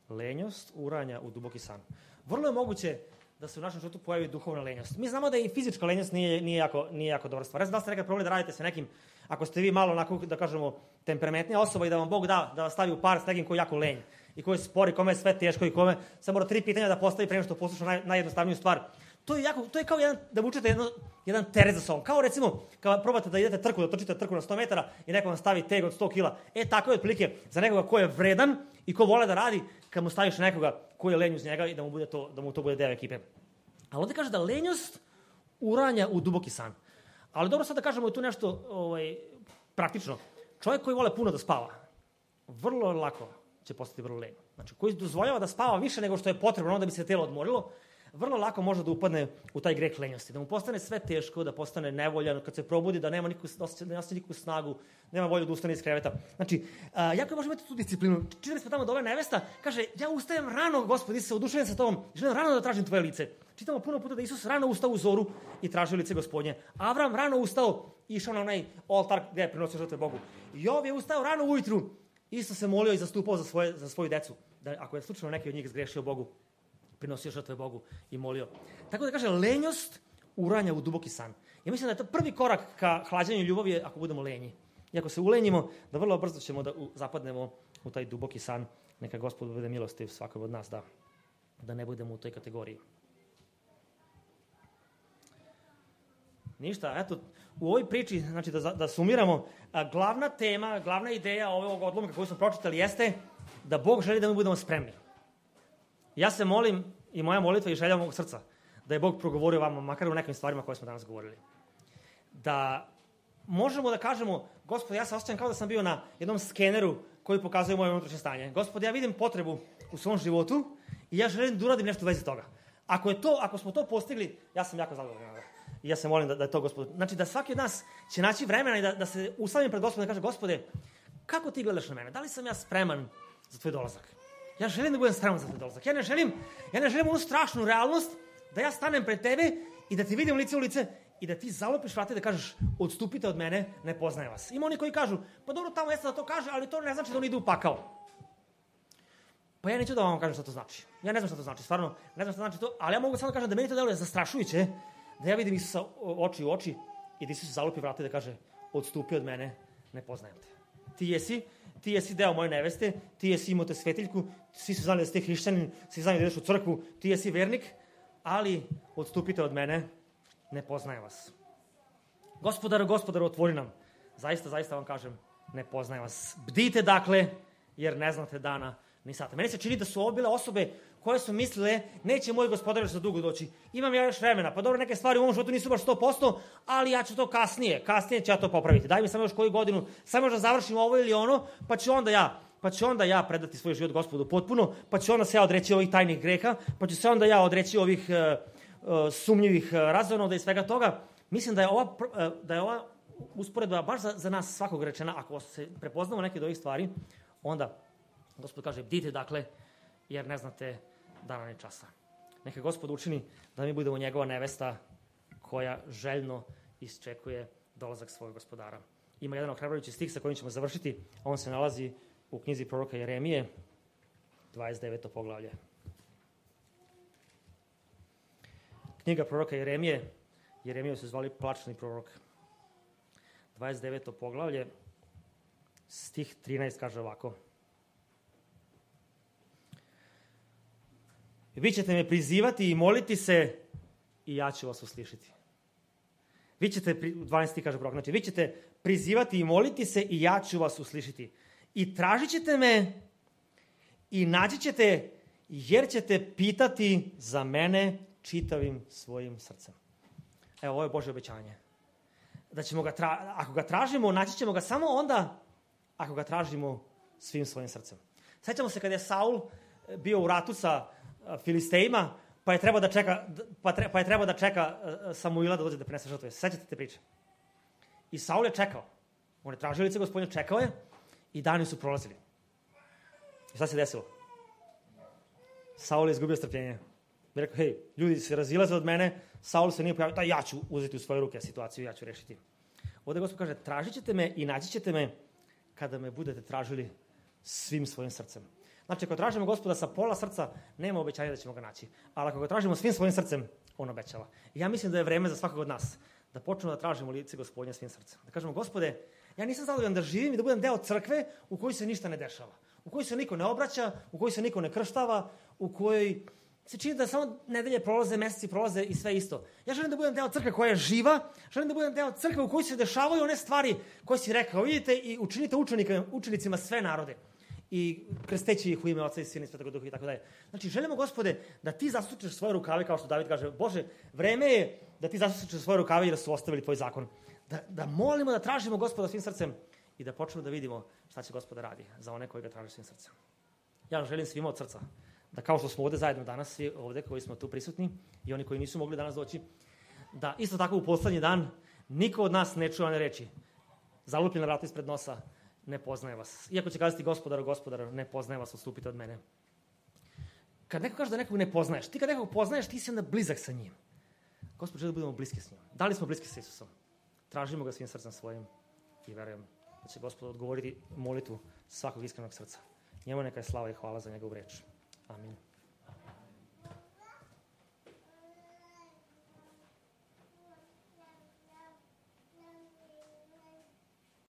Lenjost uranja u duboki san. Vrlo je moguće da se u našem životu pojavi duhovna lenjost. Mi znamo da i fizička lenjost nije jako dobra stvar. Ne znam da ste nekad probali da radite sa nekim, ako ste vi malo onako, da kažemo, temperamentnija osoba i da vam Bog da vas stavi u par s nekim koji je jako lenj i koji je spori, kome je sve teško i kome samo mora 3 pitanja da postavi pre nego što posluša najjednostavniju stvar. To je kao da vučete jedan teret za sobom. Kao recimo, kada probate da idete trku, da trčite trku na 100 metara i neko vam stavi teg od 100 kila. Tako je otprilike za nekoga ko je vredan i ko vole da radi, kad mu staviš nekoga ko je lenj uz njega i da mu to bude deo ekipe. Ali ovdje kaže da lenjost uranja u duboki san. Ali dobro sad da kažemo tu nešto praktično. Čovjek koji vole puno da spava, vrlo lako će postati vrlo lenj. Znači, koji dozvoljava da spava više nego što je potrebno, da bi se telo odmorilo, vrlo lako može da upadne u taj greh lenjosti, da mu postane sve teško, da postane nevoljan, kad se probudi, da nema nikakvu snagu, nema volju da ustane iz kreveta. Znači, jako može imati tu disciplinu. Čitali smo tamo da ova nevesta kaže, ja ustajem rano, Gospodi, se oduševim sa tobom, želim rano da tražim tvoje lice. Čitamo puno puta da Isus rano ustao u zoru i tražio lice Gospodnje. Avram rano ustao i išao na onaj oltar gdje je prinosio žrtve Bogu. Jov je ustao rano ujutru, isto se molio i zastupao za svoju decu. Da ako je slučajno neki od njih zgrešio Bogu, prinosio žrtve Bogu i molio. Tako da kaže, lenjost uranja u duboki san. Ja mislim da je to prvi korak ka hlađenju ljubavi ako budemo lenji. I ako se ulenjimo, da vrlo brzo ćemo da zapadnemo u taj duboki san. Neka Gospod bude milostiv svakom od nas da ne budemo u toj kategoriji. Ništa, eto, u ovoj priči, znači da sumiramo, glavna tema, glavna ideja ovog odlomka koju smo pročitali jeste da Bog želi da mi budemo spremni. Ja se molim, i moja molitva i želja mog srca, da je Bog progovorio vama, makar u nekim stvarima koje smo danas govorili. Da možemo da kažemo, Gospod, ja se osjećam kao da sam bio na jednom skeneru koji pokazuje moje unutrašnje stanje. Gospod, ja vidim potrebu u svom životu i ja želim da uradim nešto u vezi toga. Ako smo to postigli, ja sam jako zadovoljan. I ja se molim da je to, Gospod. Znači da svaki od nas će naći vremena i da se ustavim pred Gospodom i da kaže, Gospode, kako ti gledaš na mene? Da li sam ja spreman za tvoj dolazak? Ja želim da budem spreman za tvoj dolazak. Ja ne želim onu strašnu realnost da ja stanem pred tebe i da ti vidim lice u lice i da ti zalopiš vrata i da kažeš, odstupite od mene, ne poznajem vas. Ima oni koji kažu, pa dobro, tamo jeste da to kaže, ali to ne znači da on ide u pakao. Pa ja neću da vam kažem šta to znači. Ja ne znam šta to znači, stvarno, ne znam šta znači to, ali ja mogu samo da kažem da meni to deluje zastrašujuće, da ja vidim Isusa oči u oči i da Isus zalopi vrata i da kaže, odstupi od mene, ne poznajem te. Ti jesi deo moje neveste, ti jesi imao te svetiljku, svi su znali da ste hrišćanin, svi znali da ideš u crkvu, ti jesi vernik, ali odstupite od mene, ne poznajem vas. Gospodaru, otvori nam. Zaista vam kažem, ne poznajem vas. Bdite dakle, jer ne znate dana ni sata. Meni se čini da su ovo bile osobe koje su mislile, neće moj gospodar još za dugo doći. Imam ja još vremena, pa dobro, neke stvari u ovom životu nisu baš 100%, ali ja ću to kasnije ću ja to popraviti. Daj mi samo još koju godinu, samo još da završim ovo ili ono, pa ću onda ja predati svoj život Gospodu potpuno, pa ću onda se ja odreći ovih tajnih greha, pa ću se onda ja odreći ovih sumnjivih razonoda i svega toga. Mislim da je ova usporedba baš za nas svakog rečena. Ako se prepoznamo neke od ovih stvari, onda Gospod kaže, bdite dakle, jer ne znate dana ni časa. Neka Gospod učini da mi budemo njegova nevesta koja željno isčekuje dolazak svojeg gospodara. Ima jedan ohrabrujući stih sa kojim ćemo završiti. On se nalazi u knjizi proroka Jeremije, 29. poglavlje. Knjiga proroka Jeremija se zvali plačni prorok. 29. poglavlje, stih 13 kaže ovako. Vi ćete me prizivati i moliti se i ja ću vas uslišiti. 12. kaže prorok, znači vi ćete prizivati i moliti se i ja ću vas uslišiti. I tražit ćete me i naći ćete jer ćete pitati za mene čitavim svojim srcem. Evo, ovo je Božje obećanje. Da ćemo ako ga tražimo, naći ćemo ga samo onda ako ga tražimo svim svojim srcem. Sećamo se kada je Saul bio u ratu sa Filistejima, pa je trebao da čeka Samuila da dođe da prinese žrtve. Sećate te priče? I Saul je čekao. On je tražio lice Gospodnje, čekao je i dani su prolazili. I šta se desilo? Saul je izgubio strpljenje. I rekao, hej, ljudi se razilaze od mene, Saul se nije pojavio, ja ću uzeti u svoje ruke situaciju, ja ću rešiti. Ovdje Gospod kaže, tražit ćete me i naći ćete me kada me budete tražili svim svojim srcem. Znači, ako tražimo Gospoda sa pola srca, nema obećanja da ćemo ga naći. Ali ako ga tražimo svim svojim srcem, on obećava. I ja mislim da je vreme za svakog od nas da počnemo da tražimo lice Gospodnje svim srcem. Da kažemo, Gospode, ja nisam zadovoljan da živim i da budem deo crkve u kojoj se ništa ne dešava. U kojoj se niko ne obraća, u kojoj se niko ne krštava, u kojoj se čini da samo nedelje prolaze, meseci prolaze i sve isto. Ja želim da budem deo crkve koja je živa, želim da budem deo crkve u kojoj se dešavaju one stvari koje si rekao. Vidite i učinite učenicima sve narode. I krsteći ih u ime Oca i Sina i Svetog Duha i tako dalje. Znači, želimo, Gospode, da ti zasučeš svoje rukave, kao što David kaže, Bože, vreme je da ti zasučeš svoje rukave i da su ostavili tvoj zakon. Da molimo, da tražimo Gospoda svim srcem i da počnemo da vidimo šta će Gospoda radi za one koji ga traže svim srcem. Ja želim svima od srca da kao što smo ovde zajedno danas, svi ovde koji smo tu prisutni i oni koji nisu mogli danas doći, da isto tako u poslednji dan niko od nas ne čuje one reči. Zalupljena vrata ispred nosa, ne poznaje vas. Iako će kazati gospodaru, ne poznaje vas, odstupite od mene. Kad neko kaže da nekog ne poznaješ, ti kad nekog poznaješ, ti si onda blizak sa njim. Gospod želi da budemo bliski s njim. Da li smo bliski sa Isusom? Tražimo ga svim srcem svojim i verujem da će Gospod odgovoriti molitvu svakog iskrenog srca. Njemu neka je slava i hvala za njegovu reč. Amin.